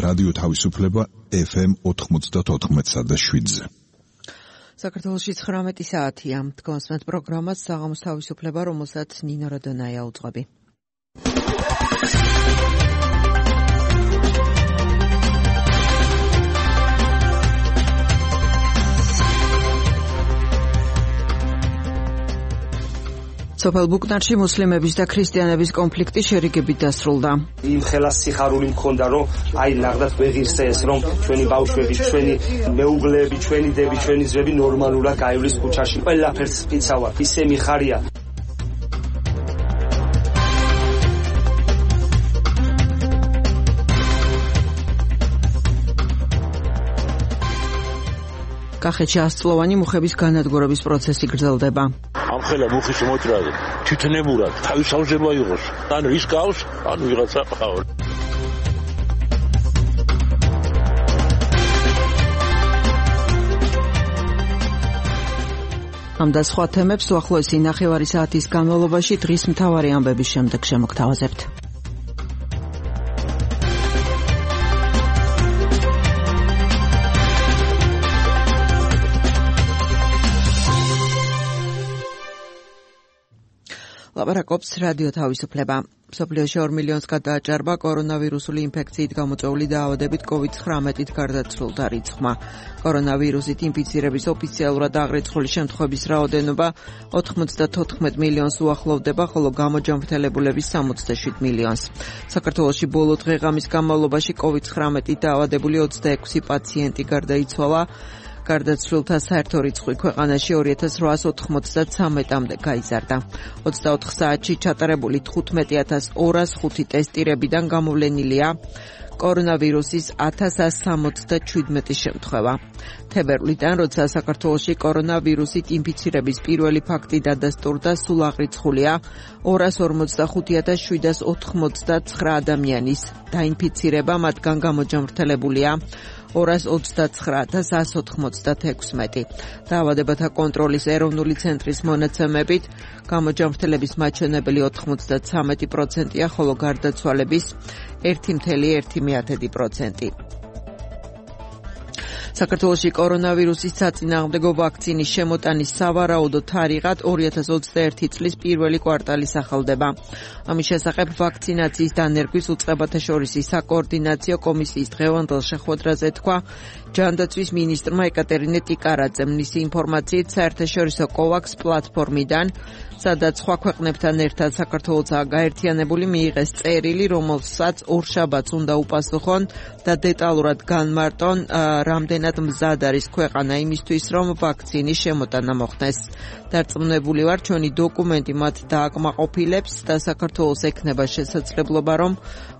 რადიო თავისუფლება FM 94.7-ზე. საქართველოში 19 საათია. თქვენს პროგრამას საღამოს თავისუფლება, რომელსაც ნინო რადონაია უძღვები. სოფელ ბუკნარში მუსლიმების და ქრისტიანების კონფლიქტი შერიგებით დასრულდა. იმ ხელას სიხარული მქონდა, რომ აი ნახდათ ვეღირსე ეს, რომ ჩვენი ბავშვები, ჩვენი მეუღლეები, ჩვენი დები, ჩვენი ძმები ნორმალურად გაივლის ქუჩაში. ყველაფერს იცავარ. ისე მიხარია. კახეთში 100 წლოვანი მუხების განადგურების პროცესი გრძელდება. ამ ხელა მუხის მოჭრაზე თვითნებურად თავის ავზება იყოს. ანუ ის გავს, ანუ ვიღაცა ყავს. ამ და სხვა თემებს უახლოესი ნახევარი საათის განმავლობაში დღის მთავარი ამბების შემდეგ შემოგთავაზებთ. ლაპარაკობს რადიო თავისუფლება. მსოფლიოში 2 მილიონს გადააჭარბა კორონავირუსული ინფექციით გამოწვეული დაავადებით COVID-19-ით გარდაცვლილთა რიცხვმა. კორონავირუსით ინფიცირების ოფიციალურად აღრიცხული შემთხვევების რაოდენობა 94 მილიონს უახლოვდება, ხოლო გამოჯანმრთელებულების 67 მილიონს. საქართველოში ბოლო დღე-ღამის განმავლობაში COVID-19-ით დაავადებული 26 პაციენტი გარდაიცვალა. გარდაცვლილთა საერთო რიცხვი ქვეყანაში 2893-მდე გაიზარდა. 24 საათში ჩატარებული 15205 ტესტირებიდან გამოვლენილია კორონავირუსის 1167 შემთხვევა. თებერვლიდან, როცა საქართველოში კორონავირუსით ინფიცირების პირველი ფაქტი დადასტურდა, სულ აღრიცხულია 245,789 ადამიანის დაინფიცირება, მათგან გამოჯანმრთელებულია 229,196. დაავადებათა კონტროლის ეროვნული ცენტრის მონაცემებით გამოჯანმრთელების მაჩვენებელი 93%-ია, ხოლო გარდაცვალების 1,1%. საქართველოში კორონავირუსის საწინააღმდეგო ვაქცინის შემოტანის სავარაუდო თარიღად 2021 წლის პირველი კვარტალი სახელდება. ამის შესახებ ვაქცინაციის დანერგვის უწყებათა შორისი საკოორდინაციო კომისიის დღევანდელ შეხვედრაზე თქვა ჯანდაცვის მინისტრმა ეკატერინე ტიკარაძემ. მისი ინფორმაციით საერთაშორისო COVAX პლატფორმიდან, სადაც სხვა ქვეყნებთან ერთად საქართველოსაც გაერთიანებული, მიიღეს წერილი, რომელსაც ორშაბათს უნდა უპასუხონ და დეტალურად განმარტონ, რამდენად მზად არის ქვეყანა იმისთვის, რომ ვაქცინის შემოტანა მოხდეს. დარწმუნებული ვარ, ჩვენი დოკუმენტი მათ დააკმაყოფილებს და საქართველოს ექნება შესაძლებლობა, რომ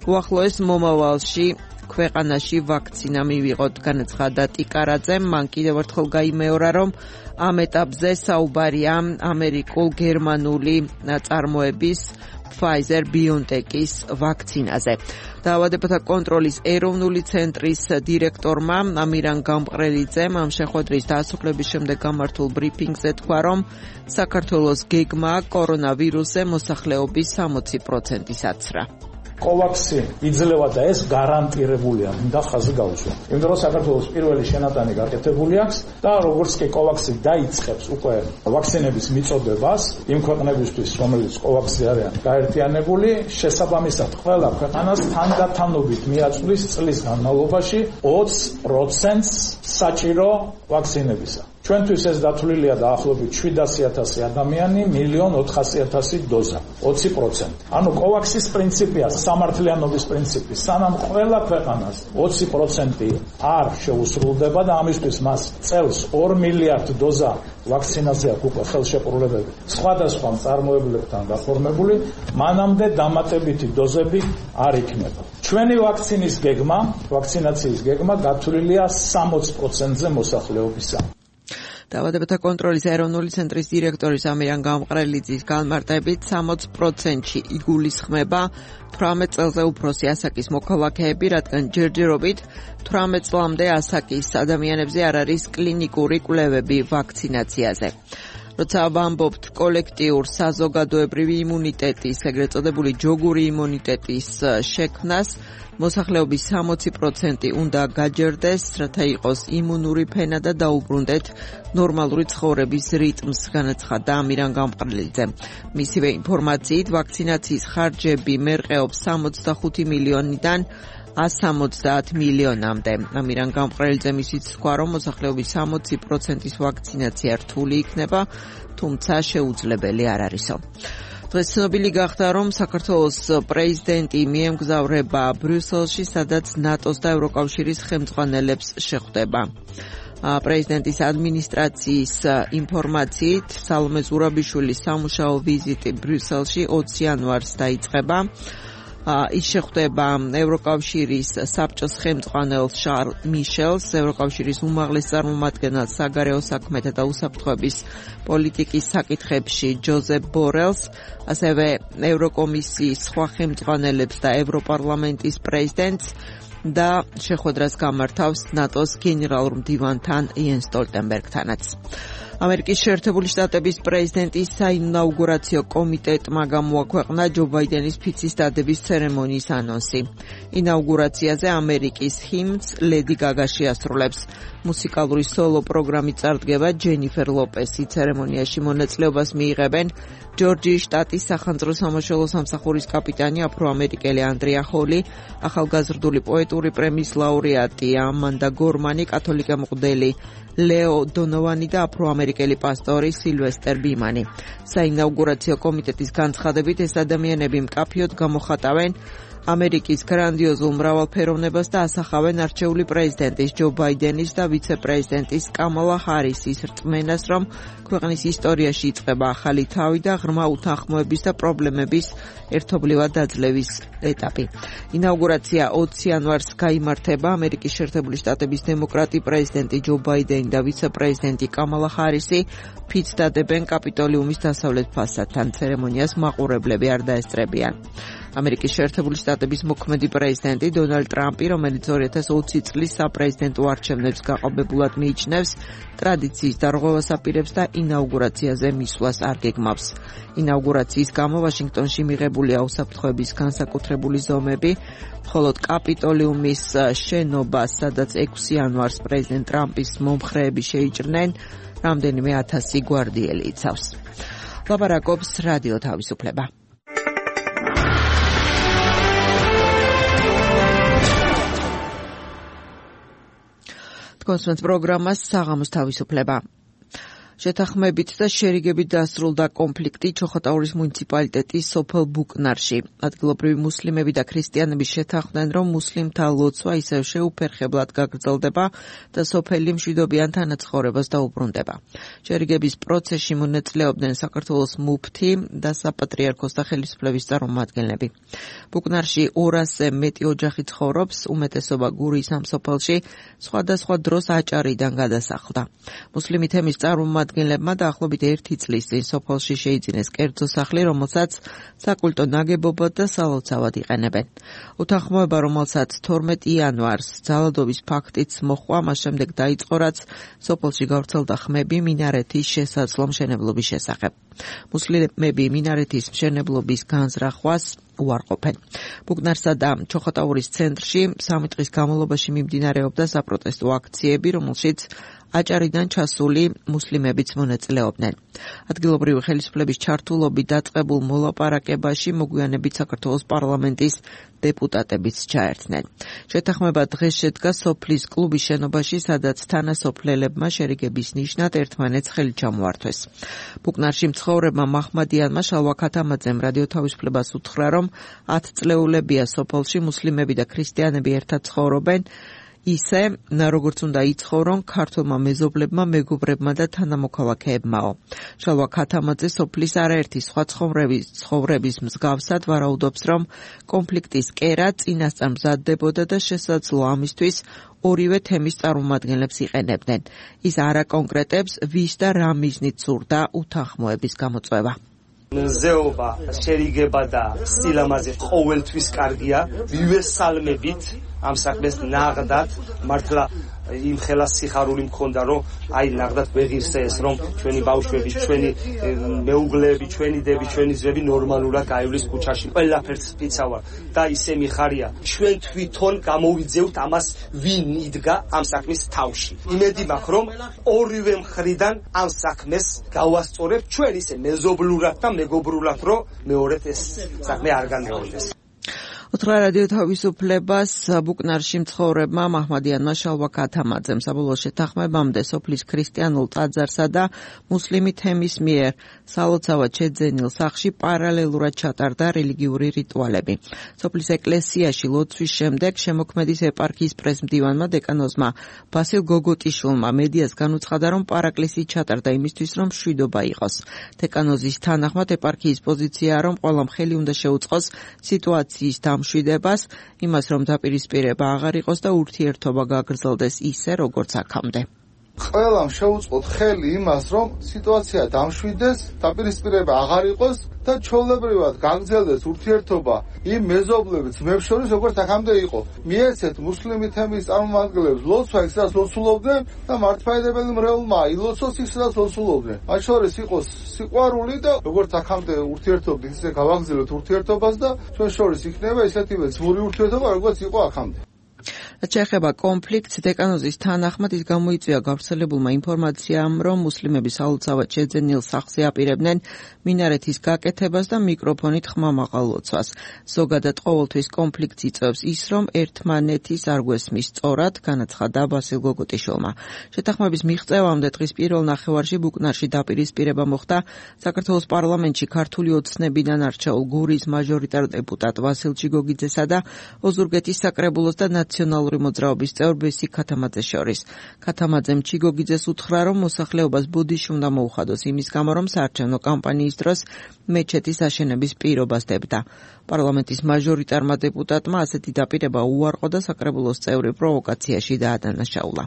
უახლოეს მომავალში ქვეყანაში ვაქცინა მივიღოთ, განაცხადა ტიკარაძემ. მან კიდევ ერთხელ გაიმეორა, რომ ამ ეტაპზე საუბარია ამერიკულ-გერმანული წარმოების Pfizer-BioNTech-ის ვაქცინაზე. დაავადებათა კონტროლის ეროვნული ცენტრის დირექტორმა ამირან გამყრელიძემ ამ შეხვედრის დასრულების შემდეგ გამართულ ბრიფინგზე თქვა, რომ საქართველოს გეგმაა კორონავირუსზე მოსახლეობის 60%-ის აცრა. COVAX-ი იძლევა და ეს გარანტირებულია, მინდა ხაზი გაუსვა. იმიტომ რომ საქართველოს პირველი შენატანი გაკეთებული აქვს და როგორც კი COVAX-ი დაიწყებს უკვე ვაქცინების მიწოდებას იმ ქვეყნებისთვის, რომელიც COVAX-ზე არიან გაერთიანებული, შესაბამისად ყველა ქვეყანას თანდათანობით მიაწვდის წლის განმავლობაში 20%-ს საჭირო ვაქცინებისა. ჩვენთვის ეს დათვლილია დაახლოებით 700,000 ადამიანი, 1,400,000 დოზა, 20%. ანუ COVAX-ის პრინციპია სამართლიანობის პრინციპი. სანამ ყველა ქვეყანას 20% არ შეუსრულდება და ამისთვის მას წელს 2 მილიარდ დოზა ვაქცინაზე აქვს უკვე ხელშეყრულებები სხვადასხვა მწარმოებლებთან გაფორმებული, მანამდე დამატებითი დოზები არ იქნება. ჩვენი ვაქცინაციის გეგმა გათვლილია 60%-ზე მოსახლეობისა. დაავადებათა კონტროლის ეროვნული ცენტრის დირექტორის ამირან გამყრელიძის განმარტებით 60%-ში იგულისხმება 18 წელზე უფროსი ასაკის მოქალაქეები, რადგან ჯერჯერობით 18 წლამდე ასაკის ადამიანებზე არ არის კლინიკური კვლევები ვაქცინაციაზე. როცა ვამბობთ კოლექტიურ საზოგადოებრივი იმუნიტეტის, ეგრეთ წოდებული ჯოგური იმუნიტეტის შექმნას, მოსახლეობის 60% უნდა გაჯერდეს, რათა იყოს იმუნური ფენა და დაუბრუნდეთ ნორმალური ცხოვრების რიტმს, განაცხადა ამირან გამყრელიძე. მისივე ინფორმაციით, ვაქცინაციის ხარჯები მერყეობს 65 მილიონიდან 170 მილიონამდე. ამირან გამყრელიძემ ისიც თქვა, რომ მოსახლეობის 60%-ის ვაქცინაცია რთული იქნება, თუმცა შეუძლებელი არ არისო. დღეს ცნობილი გახდა, რომ საქართველოს პრეზიდენტი მიემგზავრება ბრიუსელში, სადაც ნატოს და ევროკავშირის ხელმძღვანელებს შეხვდება. პრეზიდენტის ადმინისტრაციის ინფორმაციით, სალომე ზურაბიშვილის სამუშაო ვიზიტი ბრიუსელში 20 იანვარს დაიწყება. ის შეხვდება ევროკავშირის საბჭოს ხელმძღვანელ შარლ მიშელს, ევროკავშირის უმაღლეს წარმომადგენელს საგარეო საქმეთა და უსაფრთხოების პოლიტიკის საკითხებში ჯოზეფ ბორელს, ასევე ევროკომისიის სხვა ხელმძღვანელებს და ევროპარლამენტის პრეზიდენტს და შეხვედრას გამართავს ნატოს გენერალურ მდივანთან იენ სტოლტენბერგთანაც. ამერიკის შეერთებული შტატების პრეზიდენტის საინაუგურაციო კომიტეტმა გამოაქვეყნა ჯო ბაიდენის ფიცის დადების ცერემონიის ანონსი. ინაუგურაციაზე ამერიკის ჰიმნს ლედი გაგა შეასრულებს. მუსიკალური სოლო პროგრამით წარდგება ჯენიფერ ლოპესი. ცერემონიაში მონაწილეობას მიიღებენ ჯორჯიის შტატის სახანძრო სამაშველო სამსახურის კაპიტანი აფროამერიკელი ანდრია ჰოლი, ახალგაზრდული პოეტური პრემიის ლაურეატი ამანდა გორმანი, კათოლიკე მღვდელი ლეო დონოვანი და აფროამერიკელი პასტორი სილვესტერ ბიმანი. საინაუგურაციო კომიტეტის განცხადებით, ეს ადამიანები მკაფიოდ გამოხატავენ ამერიკის გრანდიოზულ მრავალფეროვნებას და ასახავენ არჩეული პრეზიდენტის ჯო ბაიდენის და ვიცე-პრეზიდენტის კამალა ჰარისის რწმენას, რომ ქვეყნის ისტორიაში იწყება ახალი თავი და ღრმა უთანხმოების და პრობლემების ერთობლივად დაძლევის ეტაპი. ინაუგურაცია 20 იანვარს გაიმართება. ამერიკის შეერთებული შტატების დემოკრატი პრეზიდენტი ჯო ბაიდენი და ვიცე-პრეზიდენტი კამალა ჰარისი ფიცს დადებენ კაპიტოლიუმის დასავლეთ ფასადთან. ცერემონიას მაყურებლები არ დაესწრებიან. ამერიკის შეერთებული შტატების მოქმედი პრეზიდენტი დონალდ ტრამპი, რომელიც 2020 წლის საპრეზიდენტო არჩევნებს გაყობებულად მიიჩნევს, ტრადიციის დარღვევას აპირებს და ინაუგურაციაზე მისვლას არ გეგმავს. ინაუგურაციის გამო ვაშინგტონში მიღებულია უსაფრთხოების განსაკუთრებული ზომები, მხოლოდ კაპიტოლიუმის შენობას, სადაც 6 იანვარს პრეზიდენტ ტრამპის მომხრეები შეიჭრნენ, რამდენიმე 1000 გვარდიელი იცავს. ლაპარაკობს რადიო თავისუფლება. კონსულტანტ პროგრამას საღამოს თავისუფლება. შეთანხმებით და შერიგებით დასრულდა კონფლიქტი ჩოხატაურის მუნიციპალიტეტის სოფელ ბუკნარში. ადგილობრივი მუსლიმები და ქრისტიანები შეთანხმდნენ, რომ მუსლიმთა ლოცვა ისევ შეუფერხებლად გაგრძელდება და სოფელი მშვიდობიან თანაცხოვრებას დაუბრუნდება. შერიგების პროცესში მონაწილეობდნენ საქართველოს მუფთი და საპატრიარქოს და ხელისუფლების წარმომადგენლები. ბუკნარში 200-ზე მეტი ოჯახი ცხოვრობს, უმეტესობა გურიის ამ სოფელში სხვადასხვა დროს აჭარიდან გადასახლდა. მუსლიმი თემის წარმომადგენლებმა დაახლოებით 1 წლის წინ სოფელში შეიძინეს კერძო სახლი, რომელსაც საკულტო ნაგებობად და სალოცავად იყენებენ. უთანხმოება, რომელსაც 12 იანვარს ძალადობის ფაქტიც მოჰყვა, მას შემდეგ დაიწყო, რაც სოფელში გავრცელდა ხმები მინარეთის შესაძლო მშენებლობის შესახებ. მუსლიმები მინარეთის მშენებლობის განზრახვას უარყოფენ. ბუკნარსა და ჩოხატაურის ცენტრში 3 დღის განმავლობაში მიმდინარეობდა საპროტესტო აქციები, რომელშიც აჭარიდან ჩასული მუსლიმებიც მონაწილეობდნენ. ადგილობრივი ხელისუფლების ჩართულობით დაწყებულ მოლაპარაკებაში მოგვიანებით საქართველოს პარლამენტის დეპუტატებიც ჩაერთნენ. შეთანხმება დღეს შედგა სოფლის კლუბის შენობაში, სადაც თანასოფლელებმა შერიგების ნიშნად ერთმანეთს ხელი ჩამოართვეს. ბუკნარში მცხოვრებმა მაჰმადიანმა შალვა ქათამაძემ რადიო თავისუფლებას უთხრა, რომ 10 წლეულებია სოფელში მუსლიმები და ქრისტიანები ერთად ცხოვრობენ, ისე, როგორც უნდა იცხოვრონ ქართულმა მეზობლებმა, მეგობრებმა და თანამოქალაქეებმაო. შალვა ქათამაძე სოფლის არაერთი სხვა ცხოვრების მსგავსად ვარაუდობს, რომ კონფლიქტის კერა წინასწარ მზადდებოდა და შესაძლოა ამისთვის ორივე თემის წარმომადგენლებს იყენებდნენ. ის არ აკონკრეტებს, ვის და რა მიზნით სურდა უთანხმოების გამოწვევა. ზეობა, შერიგება და სილამაზე ყოველთვის კარგია, მივესალმებით ამ საქმეს ნაღდად მართლა იმ ხელას სიხარული მქონდა რომ აი ნაღდად ვეღირსე ეს რომ ჩვენი ბავშვები, ჩვენი მეუღლეები, ჩვენი დები, ჩვენი ძმები ნორმალურად გაივლის ქუჩაში. ყველაფერს ფიცავარ და ისე მიხარია. ჩვენ თვითონ გამოვიძევთ ამას ვინ იდგა ამ საქმის თავში. იმედი მაქვს რომ ორივე მხრიდან ამ საქმეს გავასწორებთ ჩვენ ისე მეზობლურად და მეგობრულად რომ მეორედ ეს საქმე არ განმეორდეს. უთხრა რადიო თავისუფლებას ბუკნარში მცხოვრებმა მაჰმადიანმა შალვა ქათამაძემ საბოლოო შეთანხმებამდე სოფლის ქრისტიანულ ტაძარსა და მუსლიმი თემის მიერ სალოცავად შეძენილ სახლში პარალელურად ჩატარდა რელიგიური რიტუალები. სოფლის ეკლესიაში ლოცვის შემდეგ შემოქმედის ეპარქიის პრესმდივანმა დეკანოზმა ბასილ გოგოტიშვილმა მედიას განუცხადა, რომ პარაკლისი ჩატარდა იმისთვის, რომ მშვიდობა იყოს. დეკანოზის თანახმად ეპარქიის პოზიციაა, რომ ყველამ ხელი უნდა შეუწყოს სიტუაციის მშვიდებას, იმას რომ დაპირისპირება აღარ იყოს და ურთიერთობა გაგრძელდეს ისე, როგორც აქამდე. ყველამ შეუწყოთ ხელი იმას, რომ სიტუაცია დამშვიდეს, დაპირისპირება აღარ იყოს და ჩვეულებრივად გაგრძელდეს ურთიერთობა იმ მეზობლებს ძმებს შორის, როგორც აქამდე იყო. მიეცეთ მუსლიმი თემის წარმომადგენლებს ლოცვა იქ, სადაც ლოცულობდნენ და მართლმადიდებელი მრევლმა ილოცოს იქ, სადაც ლოცულობდნენ. მათ შორის იყოს სიყვარული და როგორც აქამდე ურთიერთობდით, ისე გავაგრძელოთ ურთიერთობას და ჩვენ შორის იქნება ისეთივე ძმური ურთიერთობა, როგორც იყო აქამდე. შეეხება კონფლიქტს, დეკანოზის თანახმად ის გამოიწვია გავრცელებულმა ინფორმაციამ, რომ მუსლიმები სალოცავად შეძენილ სახლზე აპირებდნენ მინარეთის გაკეთებას და მიკროფონით ხმამაღალ ლოცვას. ზოგადად ყოველთვის კონფლიქტს იწვევს ის, რომ ერთმანეთის არ გვესმის სწორად, განაცხადა ბასილ გოგოტიშვილმა. შეთანხმების მიღწევამდე დღის პირველ ნახევარში ბუკნარში დაპირისპირება მოხდა საქართველოს პარლამენტში ქართული ოცნებიდან არჩეულ გურის მაჟორიტარ დეპუტატ ვასილ ჩიგოგიძესა და ოზურგეთის საკრებულოს და ნაციონალური მოძრაობის წევრ ბესიკ ქათამაძეს შორის. ქათამაძემ ჩიგოგიძეს უთხრა, რომ მოსახლეობას ბუდიში უნდა მოუხადოს იმის გამო, რომ საარჩევნო კამპანიის დროს მეჩეთის აშენების პირობას დებდა. პარლამენტის მაჟორიტარმა დეპუტატმა ასეთი დაპირება უარყო და საკრებულოს წევრი პროვოკაციაში დაადანაშაულა.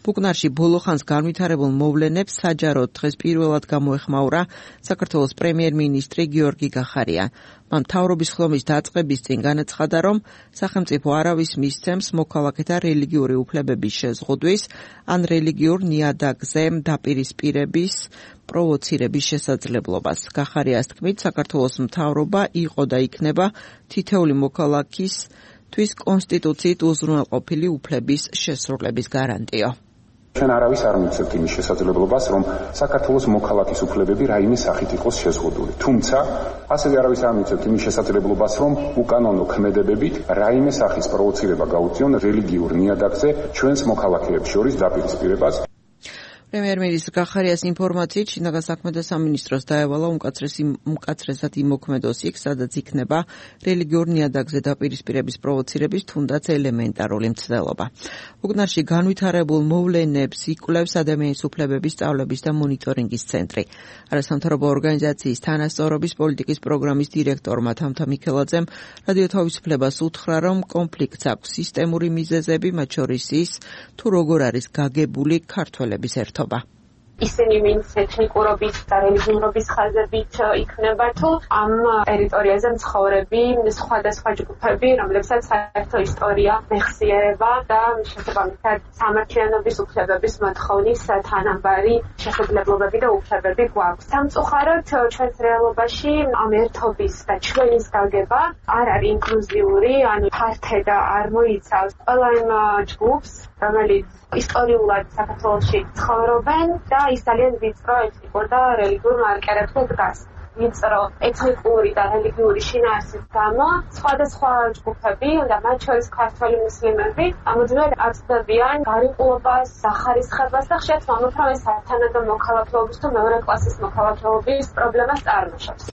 ბუკნარში ბოლო ხანს განვითარებულ მოვლენებს საჯაროდ დღეს პირველად გამოეხმაურა საქართველოს პრემიერ-მინისტრი გიორგი გახარია. მან მთავრობის ხლომის დაწყების წინ განაცხადა, რომ სახელმწიფო არავის მისცემს მოქალაქეთა რელიგიური უფლებების შეზღუდვის ან რელიგიურ ნიადაგზე დაპირისპირების პროვოცირების შესაძლებლობას. გახარიას თქმით, საქართველოს მთავრობა იყო და იქნება თითეული მოქალაქისთვის კონსტიტუციით უზრუნველყოფილი უფლების შესრულების გარანტიო. ჩვენ არავის არ მიცემთ იმის შესაძლებლობას, რომ საქართველოს მოქალაქის უფლებები რაიმე სახით იყოს შეზღუდული. თუმცა, ასევე არავის არ მიცემთ იმის შესაძლებლობას, რომ უკანონო ქმედებებით რაიმე სახის პროვოცირება გაუწიონ რელიგიურ ნიადაგზე ჩვენს მოქალაქეებს შორის დაპირისპირებას. პრემიერ-მინისტრ გახარიას ინფორმაციით შინაგან საქმეთა სამინისტროს დაევალა უმკაცრესად იმოქმედოს იქ, სადაც იქნება რელიგიურ ნიადაგზე დაპირისპირების პროვოცირების თუნდაც ელემენტარული მცდელობა. ბუკნარში განვითარებულ მოვლენებს იკვლევს ადამიანის უფლებების სწავლების და მონიტორინგის ცენტრი. არასამთავრობო ორგანიზაციის თანასწორობის პოლიტიკის პროგრამის დირექტორმა თამთა მიქელაძემ რადიო თავისუფლებას უთხრა, რომ კონფლიქტს აქვს სისტემური მიზეზები, მათ შორის ის, თუ როგორ არის გაგებული ქართველების ერთობა. ისინი ვინც ეთნიკურობის და რელიგიურობის ხაზებით იქნება თუ ამ ტერიტორიაზე მცხოვრები სხვადასხვა ჯგუფები, რომლებსაც საერთო ისტორია მეხსიერება და შესაბამისად სამართლიანობის უფლებების მოთხოვნის თანაბარი შესაძლებლობები და უფლებები გვაქვს. სამწუხაროდ ჩვენს რეალობაში ამ ერთობის და ჩვენის გაგება არ არის ინკლუზიური, ანუ ფართე და არ მოიცავს ყველა იმ ჯგუფს, რომელიც ისტორიულად საქართველოში ცხოვრობენ და ის ძალიან ვიწრო ეთნიკურ და რელიგიურ მარკერებზე დგას. ვიწრო ეთნიკური და რელიგიური შინაარსის გამო სხვადასხვა ჯგუფები და მათ შორის ქართველი მუსლიმები ამოძრავად აწვევიან გარიყულობას, სახარისხებას და ხშირად მომთხოვს, რომ ეს სათანადო მოქალაქეობის თუ მეორე კლასის მოქალაქეობის პრობლემას წარმოშობს.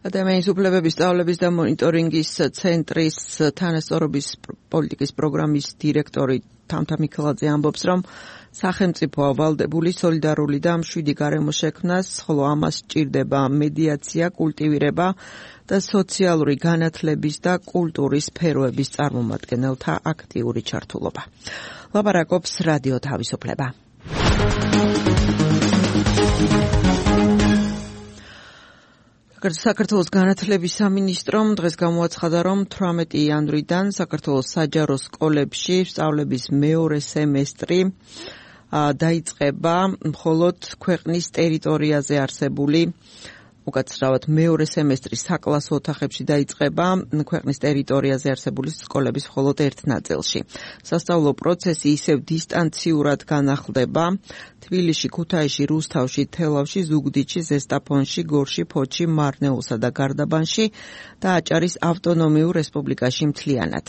ადამიანის უფლებების სწავლების და მონიტორინგის ცენტრის თანასწორობის პოლიტიკის პროგრამის დირექტორი თამთა მიქელაძე ამბობს, რომ სახელმწიფო ავალდებული სოლიდარული და მშვიდი გარემო შექმნას, ხოლო ამას სჭირდება მედიაცია, კულტივირება და სოციალური განათლების და კულტურის სფეროების წარმომადგენელთა აქტიური ჩართულობა. ლაპარაკობს რადიო თავისუფლება. საქართველოს განათლების სამინისტრომ დღეს გამოაცხადა, რომ 18 იანვრიდან საქართველოს საჯარო სკოლებში სწავლების მეორე სემესტრი დაიწყება მხოლოდ ქვეყნის ტერიტორიაზე არსებული უკაცრავად მეორე სემესტრი საკლასო ოთახებში დაიწყება ქვეყნის ტერიტორიაზე არსებული სკოლების მხოლოდ ერთ ნაწილში. სასწავლო პროცესი ისევ დისტანციურად განახლდება თბილისში, ქუთაისში, რუსთავში, თელავში, ზუგდიდში, ზესტაფონში, გორში, ფოთში, მარნეულსა და გარდაბანში და აჭარის ავტონომიურ რესპუბლიკაში მთლიანად.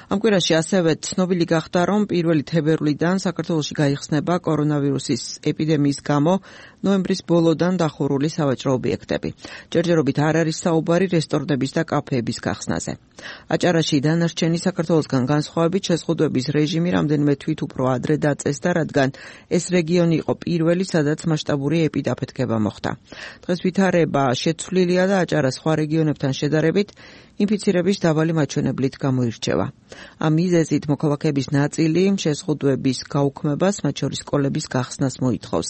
ამ კვირაში ასევე ცნობილი გახდა, რომ 1 თებერვლიდან საქართველოში გაიხსნება კორონავირუსის ეპიდემიის გამო ნოემბრის ბოლოდან დახურული სავაჭრო ობიექტები. ჯერჯერობით არ არის საუბარი რესტორნების და კაფეების გახსნაზე. აჭარაში დანარჩენი საქართველოსგან განსხვავებით შეზღუდვების რეჟიმი რამდენიმე თვით უფრო ადრე დაწესდა, რადგან ეს რეგიონი იყო პირველი, სადაც მასშტაბური ეპიდაფეთქება მოხდა. დღეს ვითარება შეცვლილია და აჭარა სხვა რეგიონებთან შედარებით ინფიცირების დაბალი მაჩვენებლით გამოირჩევა. ამ მიზეზით მოქალაქეების ნაწილი შეზღუდვების გაუქმებას, მათ შორის სკოლების გახსნას მოითხოვს.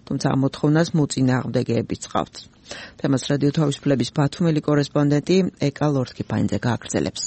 თუმცა ამ მოთხოვნას მოწინააღმდეგეებიც ჰყავთ. თემას რადიო თავისუფლების ბათუმელი კორესპონდენტი ეკა ლორთქიფაინძე გააგრძელებს.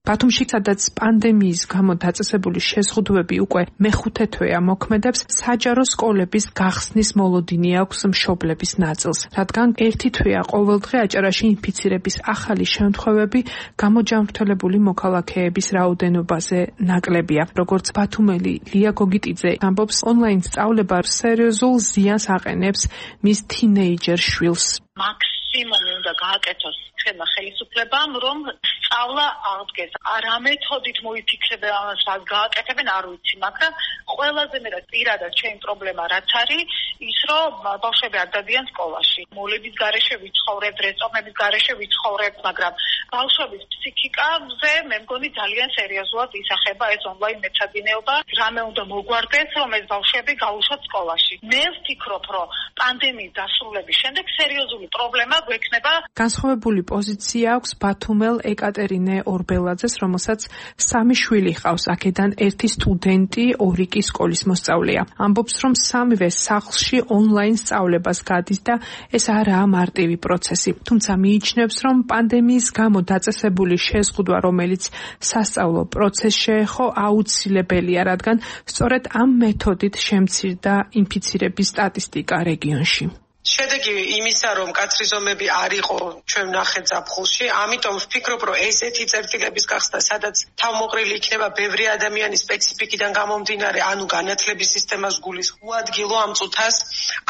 ბათუმში, სადაც პანდემიის გამო დაწესებული შეზღუდვები უკვე მეხუთე თვეა მოქმედებს, საჯარო სკოლების გახსნის მოლოდინი აქვს მშობლების ნაწილს, რადგან ერთი თვეა ყოველდღე აჭარაში ინფიცირების ახალი შემთხვევები გამოჯანმრთელებული მოქალაქეების რაოდენობაზე ნაკლებია. როგორც ბათუმელი ლია გოგიტიძე ამბობს, ონლაინ სწავლება სერიოზულ ზიანს აყენებს მის თინეიჯერ შვილს. მაქსიმუმი უნდა გააკეთოს ხელმა ხელისუფლებამ, რომ სწავლა აღდგეს. რა მეთოდით მოიფიქრებენ ამას, რა გააკეთებენ, არ ვიცი, მაგრამ ყველაზე მეტად პირადად ჩემი პრობლემა რაც არის, ის რომ ბავშვები არ დადიან სკოლაში. მოლების გარეშე ვიცხოვრებ, რესტორნების გარეშე ვიცხოვრებ, მაგრამ ბავშვების ფსიქიკაზე მე მგონი ძალიან სერიოზულად ისახება ეს ონლაინ მეცადინეობა. რამე უნდა მოგვარდეს, რომ ეს ბავშვები გაუშვათ სკოლაში. მე ვფიქრობ, რომ პანდემიის დასრულების შემდეგ სერიოზული პრობლემა გვექნება. განსხვავებული პოზიცია აქვს ბათუმელ ეკატერინე ორბელაძეს, რომელსაც 3 შვილი ჰყავს. აქედან ერთი სტუდენტი, 2 კი სკოლის მოსწავლეა. ამბობს, რომ სამივე სახლში ონლაინ სწავლებას გადის და ეს არაა მარტივი პროცესი. თუმცა მიიჩნევს, რომ პანდემიის გამო დაწესებული შეზღუდვა, რომელიც სასწავლო პროცესს შეეხო, აუცილებელია, რადგან სწორედ ამ მეთოდით შემცირდა ინფიცირების სტატისტიკა რეგიონში. შედეგი იმისა, რომ კაცრი ზომები არ იყო ჩვენ ვნახეთ ზაფხულში, ამიტომ ვფიქრობ, რომ ესეთი წერტილების გახსნა, სადაც თავმოყრილი იქნება ბევრი ადამიანის სპეციფიკიდან გამომდინარე, ანუ განათლების სისტემას გულისხმობ ამ წუთას,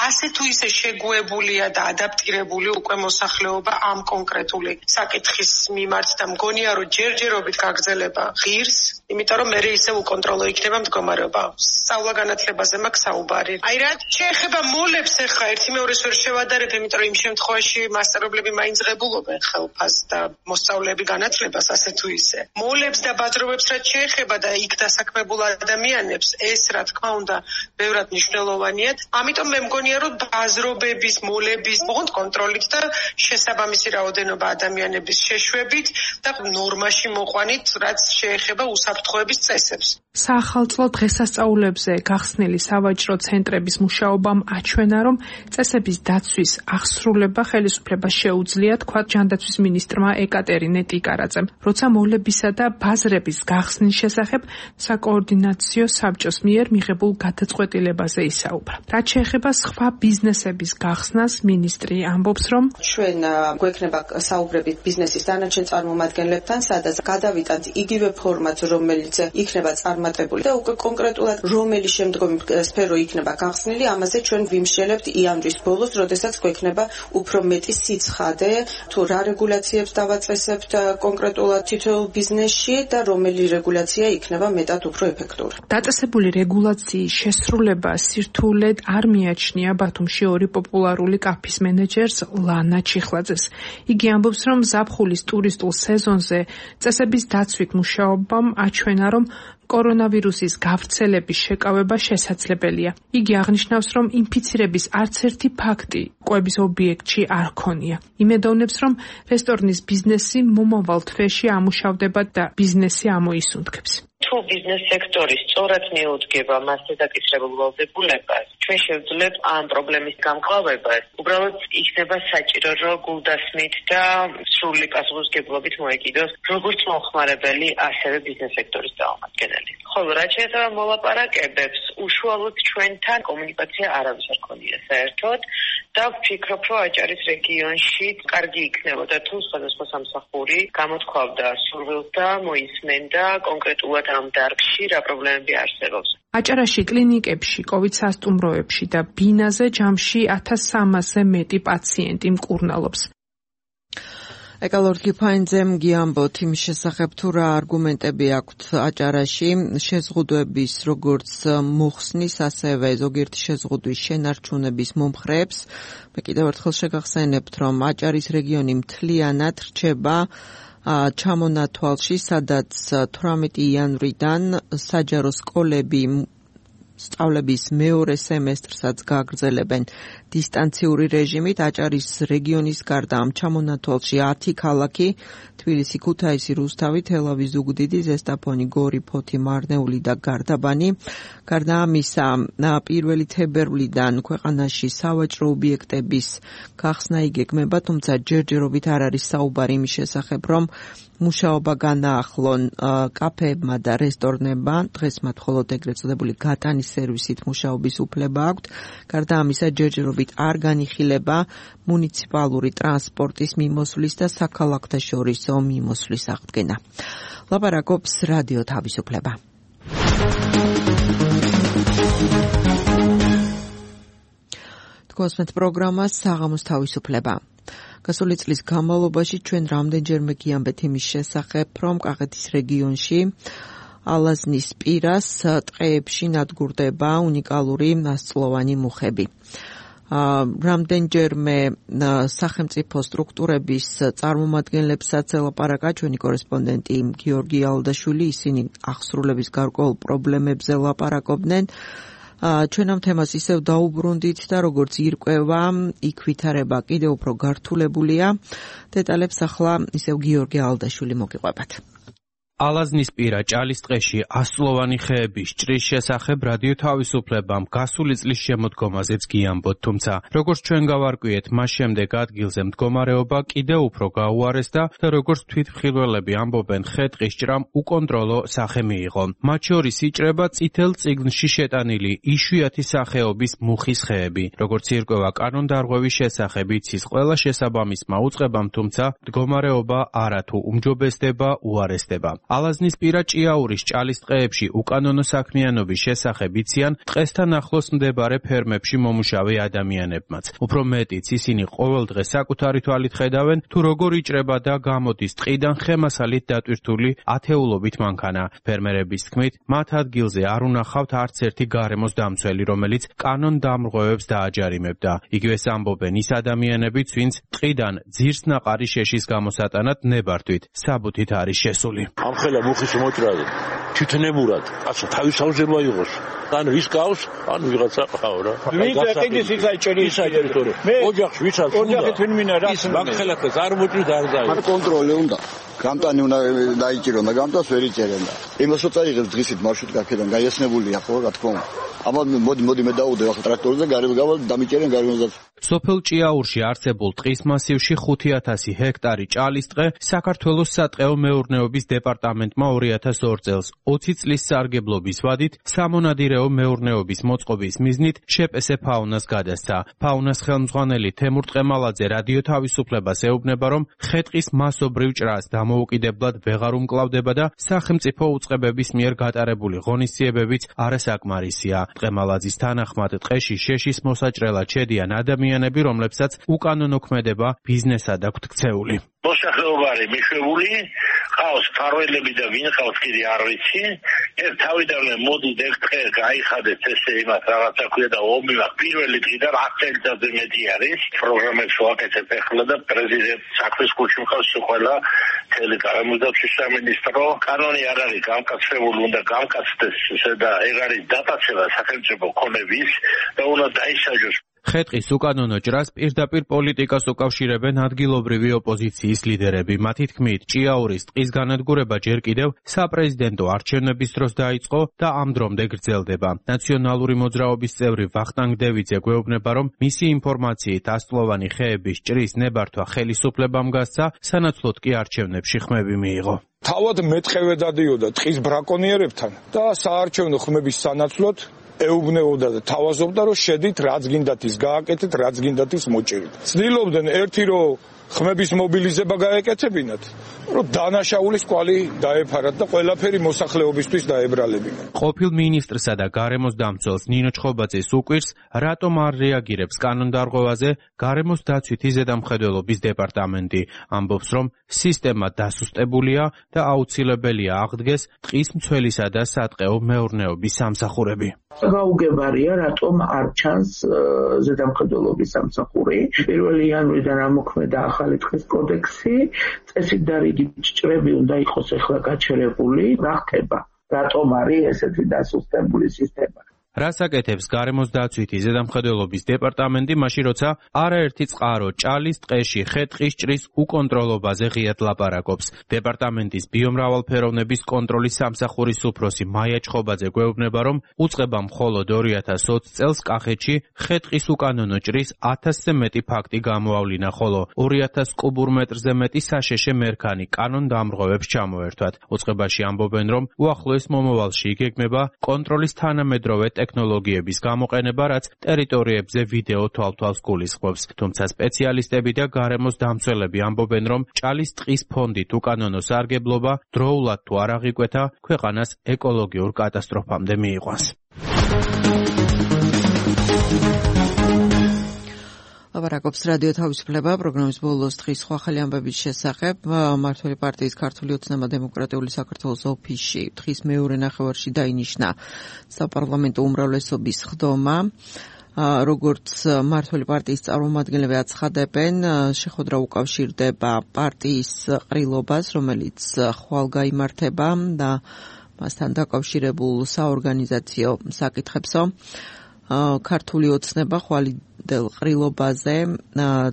ასე თუ ისე შეგუებულია და ადაპტირებული უკვე მოსახლეობა ამ კონკრეტული საკითხის მიმართ და მგონია, რომ ჯერჯერობით გაგრძელება ღირს, იმიტომ რომ მე ისევ უკონტროლო იქნება მდგომარეობა. სწავლა განათლებაზე მაქვს საუბარი. აი რა შეეხება მოლებს ახლა ერთი მეორეს ვერ შევადარებ, იმიტომ რომ იმ შემთხვევაში მასწავლებლები მაინც ღებულობენ ხელფას და მოსწავლეები განათლებას ასე თუ ისე. მოლებს და ბაზრობებს რაც შეეხება და იქ დასაქმებულ ადამიანებს, ეს რა თქმა უნდა ბევრად მნიშვნელოვანია. ამიტომ მე მგონია, რომ ბაზრობების, მოლების ოღონდ კონტროლით და შესაბამისი რაოდენობა ადამიანების შეშვებით და ნორმაში მოყვანით, რაც შეეხება უსაფრთხოების წესებს. საახალწლო დღესასწაულებზე გახსნილი სავაჭრო ცენტრების მუშაობამ აჩვენა, რომ წესების დაცვის აღსრულება ხელისუფლებას შეუძლია, თქვა ჯანდაცვის მინისტრმა ეკატერინე ტიკარაძემ. როცა მოლებისა და ბაზრების გახსნის შესახებ საკოორდინაციო საბჭოს მიერ მიღებულ გადაწყვეტილებაზე ისაუბრა. რაც შეეხება სხვა ბიზნესების გახსნას, მინისტრი ამბობს, რომ ჩვენ გვექნება საუბრები ბიზნესის დანარჩენ წარმომადგენლებთან, სადაც გადავიტანთ იგივე ფორმატს, რომელიც იქნება წარმატებული და უკვე კონკრეტულად რომელი შემდგომი სფერო იქნება გახსნილი, ამაზე ჩვენ ვიმსჯელებთ იანვრის ბოლოს, როდესაც გვექნება უფრო მეტი სიცხადე, თუ რა რეგულაციებს დავაწესებთ კონკრეტულად თითოეულ ბიზნესში და რომელი რეგულაცია იქნება მეტად უფრო ეფექტური. დაწესებული რეგულაციის შესრულება სირთულედ არ მიაჩნია ბათუმში 2 პოპულარული კაფის მენეჯერს ლანა ჩიხლაძეს. იგი ამბობს, რომ ზაფხულის ტურისტულ სეზონზე წესების დაცვით მუშაობამ აჩვენა, რომ კორონავირუსის გავრცელების შეკავება შესაძლებელია. იგი აღნიშნავს, რომ ინფიცირების არც ერთი ფაქტი კვების ობიექტში არ ქონია. იმედოვნებს, რომ რესტორნის ბიზნესი მომავალ თვეში ამუშავდება და ბიზნესი ამოისუნთქებს. თუ ბიზნეს სექტორი სწორად მიუძგება მასზე დაკისრებულ ვალდებულებას, ჩვენ შევძლებთ ამ პრობლემის გამკლავებას. უბრალოდ იქნება საჭირო, რომ გულდასმით და სრული პასუხისმგებლობით მოეკიდოს როგორც მომხმარებელი, ასევე ბიზნეს სექტორის წარმომადგენელი. ხოლო რაც შეეხება მოლაპარაკებებს, უშუალოდ ჩვენთან კომუნიკაცია არავის არ ქონია საერთოდ და ვფიქრობ, რომ აჭარის რეგიონში კარგი იქნებოდა თუ სხვადასხვა სამსახური გამოთქვავდა სურვილს და მოისმენდა კონკრეტულად ამ დარგში რა პრობლემები არსებობს. აჭარაში კლინიკებში, COVID სასტუმროებში და ბინაზე ჯამში 1300-ზე მეტი პაციენტი მკურნალობს. ეკალორგი ფაინძემ გიამბოთ იმ შესახებ თუ რა არგუმენტები აქვთ აჭარაში შეზღუდვების როგორც მოხსნის, ასევე ზოგიერთი შეზღუდვის შენარჩუნების მომხრეებს. მე კიდევ ერთხელ შეგახსენებთ, რომ აჭარის რეგიონი მთლიანად რჩება ჩამონათვალში, სადაც 18 იანვრიდან საჯარო სკოლები სწავლების მეორე სემესტრსაც გააგრძელებენ დისტანციური რეჟიმით. აჭარის რეგიონის გარდა ამ ჩამონათვალში 10 ქალაქი: თბილისი, ქუთაისი, რუსთავი, თელავი, ზუგდიდი, ზესტაფონი, გორი, ფოთი, მარნეული და გარდაბანი. გარდა ამისა, 1 თებერვლიდან ქვეყანაში სავაჭრო ობიექტების გახსნა იგეგმება, თუმცა ჯერჯერობით არ არის საუბარი იმის შესახებ, რომ მუშაობა განაახლონ კაფეებმა და რესტორნებმა. დღეს მათ მხოლოდ ეგრეთ წოდებული გატანის სერვისით მუშაობის უფლება აქვთ. გარდა ამისა, ჯერჯერობით არ განიხილება მუნიციპალური ტრანსპორტის მიმოსვლის და საქალაქთაშორისო მიმოსვლის აღდგენა. ლაპარაკობს რადიო თავისუფლება. თქვენს პროგრამას საღამოს თავისუფლება. გასული წლის განმავლობაში ჩვენ რამდენჯერმე გიამბეთ იმის შესახებ, რომ კახეთის რეგიონში ალაზნის პირას ტყეებში ნადგურდება უნიკალური ასწლოვანი მუხები. რამდენჯერმე სახელმწიფო სტრუქტურების წარმომადგენლებსაც ელაპარაკა ჩვენი კორესპონდენტი გიორგი ალდაშვილი, ისინი აღსრულების გარკვეულ პრობლემებზე ლაპარაკობდნენ. ჩვენ ამ თემას ისევ დაუბრუნდით და როგორც ირკვევა, იქ ვითარება კიდევ უფრო გართულებულია. დეტალებს ახლა ისევ გიორგი ალდაშვილი მოგიყვებათ. ალაზნის პირა ჭალის ტყეში ასწლოვანი ხეების ჭრის შესახებ რადიო თავისუფლებამ გასული წლის შემოდგომაზეც გიამბოთ, თუმცა როგორც ჩვენ გავარკვიეთ, მას შემდეგ ადგილზე მდგომარეობა კიდევ უფრო გაუარესდა და როგორც თვითმხილველები ამბობენ, ხე-ტყის ჭრამ უკონტროლო სახე მიიღო. მათ შორის იჭრება წითელ წიგნში შეტანილი იშვიათი სახეობის მუხის ხეები. როგორც ირკვევა კანონდარღვევის შესახებ იცის ყველა შესაბამისმა უწყებამ, თუმცა მდგომარეობა არათუ უმჯობესდება, უარესდება. ალაზნის პირა ჭიაურის ჭალის ტყეებში უკანონო საქმიანობის შესახებ იციან ტყესთან ახლოს მდებარე ფერმებში მომუშავე ადამიანებმაც. უფრო მეტიც, ისინი ყოველ დღე საკუთარი თვალით ხედავენ, თუ როგორ იჭრება და გამოდის ტყიდან ხემასალით დატვირთული ათეულობით მანქანა. ფერმერების თქმით, მათ ადგილზე არ უნახავთ არც ერთი გარემოს დამცველი, რომელიც კანონდამრღვევებს დააჯარიმებდა. იგივეს ამბობენ ის ადამიანებიც, ვინც ტყიდან ძირსნაყარი შეშის გამოსატანად ნებართვით საბუთით არის შესული. ამხელა მუხის მოჭრაზე თვითნებურად ასე თავის საუზება იყოს. ანუ ის გავს, ანუ ვიღაცა ყავა რა. ვინ ეყიდის ის აიჭერის ტერიტორია. ოჯახში ვიცარ, ოჯახი თვინ მინა რა. მაგხელას არ მოჭრის არ დაი. არ კონტროლი უნდა. გამტანი უნდა დაიჭირონ და გამტას ვერ იჭერენ და. იმას რო წაიღებს დღისით მარშრუტი აქედან გაიასნებულია ხო, რა თქმა უნდა. აბა მოდი მე დავუდე ახლა ტრაქტორზე გარეუბე გავალ დამიჭერენ გარემოსაც. სოფელ ჭიაურში არსებულ ტყის მასივში 5000 ჰექტარი ჭალის ტყე საქართველოს სატყეო მეურნეობის დეპარტამენტმა 2002 წელს 20 წლის სარგებლობის ვადით სამონადირეო მეურნეობის მოწყობის მიზნით შეპესე ფაუნას გადასცა. ფაუნას ხელმძღვანელი თემურ ტყემალაძე რადიო თავისუფლებას ეუბნება, რომ ხე-ტყის მასობრივ ჭრას დამოუკიდებლად ვეღარ უმკლავდება და სახელმწიფო უწყებების მიერ გატარებული ღონისძიებებიც არასაკმარისია. ტყემალაძის თანახმად ტყეში შეშის მოსაჭრელად შედიან ადამიანები, რომლებსაც უკანონო ქმედება ბიზნესად აქვთ ქცეული. მოსახლეობა არის მიშვებული, ყავს ფარველები და ვინ ყავს კიდე არ ვიცი. ეს თავიდანვე მოდით ეგ ტყე გაიხადეთ ესე იმას რაღაცა ქვია და ომი მაქვს პირველი დღიდან 10 წელიწადზე მეტი არის. პროგრამებს ვაკეთებ ახლა და პრეზიდენტ საქმის კუჩი მყავს ყველა თელი გარემოსდაცვის სამინისტრო. კანონი არ არის გამკაცებული, უნდა გამკაცდეს და ეგ არის დატაცება სახელმწიფო ქონების და უნდა დაისაჯოს. ხეტყის უკანონო ჭრას პირდაპირ პოლიტიკას უკავშირებენ ადგილობრივი ოპოზიციის ლიდერები. მათი თქმით, ჭიაურის ტყის განადგურება ჯერ კიდევ საპრეზიდენტო არჩევნების დროს დაიწყო და ამ დრომდე გრძელდება. ნაციონალური მოძრაობის წევრი ვახტანგ დევიძე გვეუბნება, რომ მისი ინფორმაციით ასწლოვანი ხეების ჭრის ნებართვა ხელისუფლებამ გასცა, სანაცვლოდ კი არჩევნებში ხმები მიიღო. თავად მეტყევე დადიოდა ტყის ბრაკონიერებთან და საარჩევნო ხმების სანაცვლოდ ეუბნეოდა და თავაზობდა, რომ შედით რაც გინდათ ის გააკეთეთ, რაც გინდათ ის მოჭერით. ცდილობდნენ ერთი რომ ხმების მობილიზება გაეკეთებინათ, რომ დანაშაულის კვალი დაეფარათ და ყველაფერი მოსახლეობისთვის დაებრალებინათ. ყოფილ მინისტრსა და გარემოს დამცველს ნინო ჩხობაძეს უკვირს, რატომ არ რეაგირებს კანონდარღვევაზე გარემოს დაცვითი ზედამხედველობის დეპარტამენტი. ამბობს, რომ სისტემა დასუსტებულია და აუცილებელია აღდგეს ტყის მცველისა და სატყეო მეურნეობის სამსახურები. გაუგებარია, რატომ არ ჩანს ზედამხედველობის სამსახური. 1 იანვრიდან ამოქმედა ახალი ტყის კოდექსი, წესით და რიგით ჭრები უნდა იყოს ახლა გაჩერებული. რა ხდება? რატომ არის ესეთი დასუსტებული სისტემა? რას აკეთებს გარემოს დაცვითი ზედამხედველობის დეპარტამენტი, მაშინ როცა არაერთი წყარო ჭალის ტყეში ხეტყის ჭრის უკონტროლობაზე ღიად ლაპარაკობს. დეპარტამენტის ბიომრავალფეროვნების კონტროლის სამსახურის უფროსი მაია ჩხობაძე გვეუბნება, რომ უწყება მხოლოდ 2020 წელს კახეთში ხეტყის უკანონო ჭრის 1000-ზე მეტი ფაქტი გამოავლინა, ხოლო 2000 კუბურ მეტრზე მეტი საშეშე მერქანი კანონდამრღვევებს ჩამოერთვათ. უწყებაში ამბობენ, რომ უახლოეს მომავალში იგეგმება კონტროლის თანამედროვე ტექნოლოგიების გამოყენება, რაც ტერიტორიებზე ვიდეო თვალთვალს გულისხმობს. თუმცა სპეციალისტები და გარემოს დამცველები ამბობენ, რომ ჭალის ტყის ფონდით უკანონო სარგებლობა დროულად თუ არ აღიკვეთა, ქვეყანას ეკოლოგიურ კატასტროფამდე მიიყვანს. ლაპარაკობს რადიო თავისუფლება პროგრამის ბოლოს დღის სხვა ხელი ამბების შესახებ. მმართველი პარტიის ქართული ოცნება დემოკრატიული საქართველოს ოფისში დღის მეორე ნახევარში დაინიშნა საპარლამენტო უმრავლესობის ხდომა. როგორც მმართველი პარტიის წარმომადგენლები აცხადებენ, შეხვედრა უკავშირდება პარტიის ყრილობას, რომელიც ხვალ გაიმართება და მასთან დაკავშირებულ საორგანიზაციო საკითხებსო. ქართული ოცნება ხვალიდელ ყრილობაზე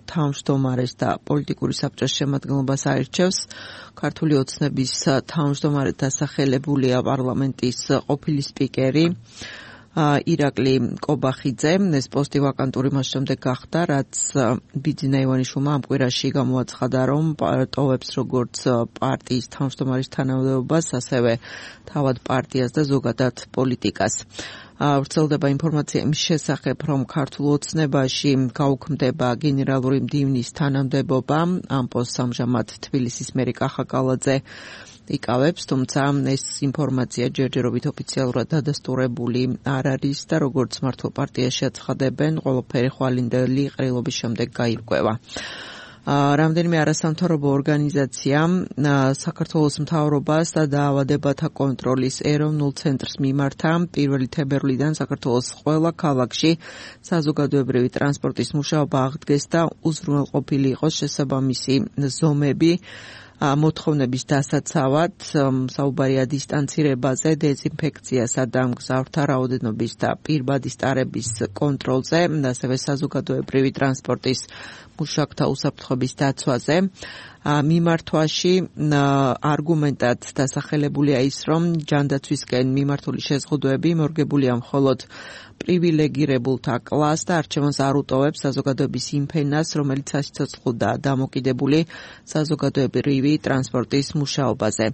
თავმჯდომარეს და პოლიტიკური საბჭოს შემადგენლობას აირჩევს. ქართული ოცნების თავმჯდომარედ დასახელებულია პარლამენტის ყოფილი სპიკერი ირაკლი კობახიძე. ეს პოსტი ვაკანტური მას შემდეგ გახდა, რაც ბიძინა ივანიშვილმა ამ კვირაში გამოაცხადა, რომ ტოვებს როგორც პარტიის თავმჯდომარის თანამდებობას, ასევე თავად პარტიას და ზოგადად პოლიტიკას. ვრცელდება ინფორმაცია იმის შესახებ, რომ ქართულ ოცნებაში გაუქმდება გენერალური მდივნის თანამდებობა. ამ პოსტს ამჟამად თბილისის მერი კახა კალაძე იკავებს, თუმცა ეს ინფორმაცია ჯერჯერობით ოფიციალურად დადასტურებული არ არის და როგორც მართლ პარტიაში აცხადებენ, ყველაფერი ხვალინდელი ყრილობის შემდეგ გაირკვევა. რამდენიმე არასამთავრობო ორგანიზაცია საქართველოს მთავრობას და დაავადებათა კონტროლის ეროვნულ ცენტრს მიმართა 1 თებერვლიდან საქართველოს ყველა ქალაქში საზოგადოებრივი ტრანსპორტის მუშაობა აღდგეს და უზრუნველყოფილი იყოს შესაბამისი ზომები მოთხოვნების დასაცავად, საუბარია დისტანცირებაზე, დეზინფექციასა და მგზავრთა რაოდენობის და პირბადის ტარების კონტროლზე, ასევე საზოგადოებრივი ტრანსპორტის მუშაკთა უსაფრთხოების დაცვაზე. მიმართვაში არგუმენტად დასახელებულია ის, რომ ჯანდაცვისკენ მიმართული შეზღუდვები მორგებულია მხოლოდ პრივილეგირებულთა კლასს და არჩევანს არ უტოვებს საზოგადოების იმ ფენას, რომელიც სასიცოცხლო დამოკიდებული საზოგადოებრივი ტრანსპორტის მუშაობაზე.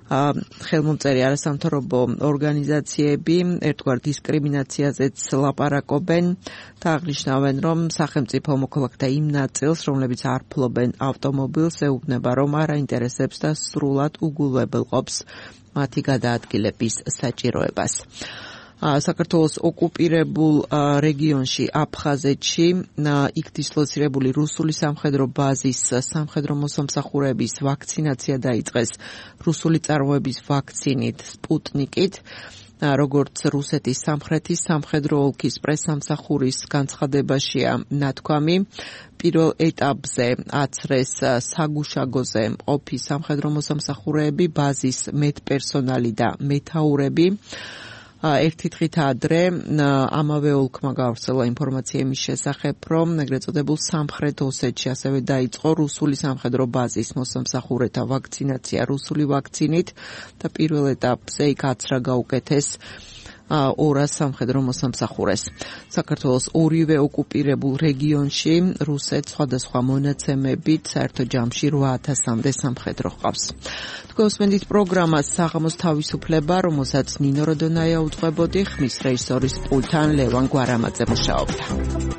ხელმომწერი არასამთავრობო ორგანიზაციები ერთგვარ დისკრიმინაციაზეც ლაპარაკობენ და აღნიშნავენ, რომ სახელმწიფო მოქალაქეთა იმ ნაწილს, რომლებიც არ ფლობენ ავტომობილს, ეუბნება, რომ არ აინტერესებს და სრულად უგულებელყოფს მათი გადაადგილების საჭიროებას. საქართველოს ოკუპირებულ რეგიონში აფხაზეთში იქ დისლოცირებული რუსული სამხედრო ბაზის სამხედრო მოსამსახურეების ვაქცინაცია დაიწყეს რუსული წარმოების ვაქცინით სპუტნიკით. როგორც რუსეთის სამხრეთის სამხედრო ოლქის პრესამსახურის განცხადებაშია ნათქვამი, პირველ ეტაპზე აცრეს საგუშაგოზე მყოფი სამხედრო მოსამსახურეები, ბაზის მედპერსონალი და მეთაურები. ერთი დღით ადრე ამავე ოლქმა გავრცელა ინფორმაცია იმის შესახებ, რომ ეგრეთ წოდებულ სამხრეთ ოსეთში ასევე დაიწყო რუსული სამხედრო ბაზის მოსამსახურეთა ვაქცინაცია რუსული ვაქცინით და პირველ ეტაპზე იქ აცრა გაუკეთეს 200 სამხედრო მოსამსახურეს. საქართველოს ორივე ოკუპირებულ რეგიონში რუსეთს სხვადასხვა მონაცემებით საერთო ჯამში 8000-მდე სამხედრო ჰყავს. თქვენს პროგრამას საღამოს თავისუფლება, რომელსაც ნინო როდონაია უძღვებოდი, ხმის რეჟისორის პულტთან ლევან გვარამაძე მუშაობდა.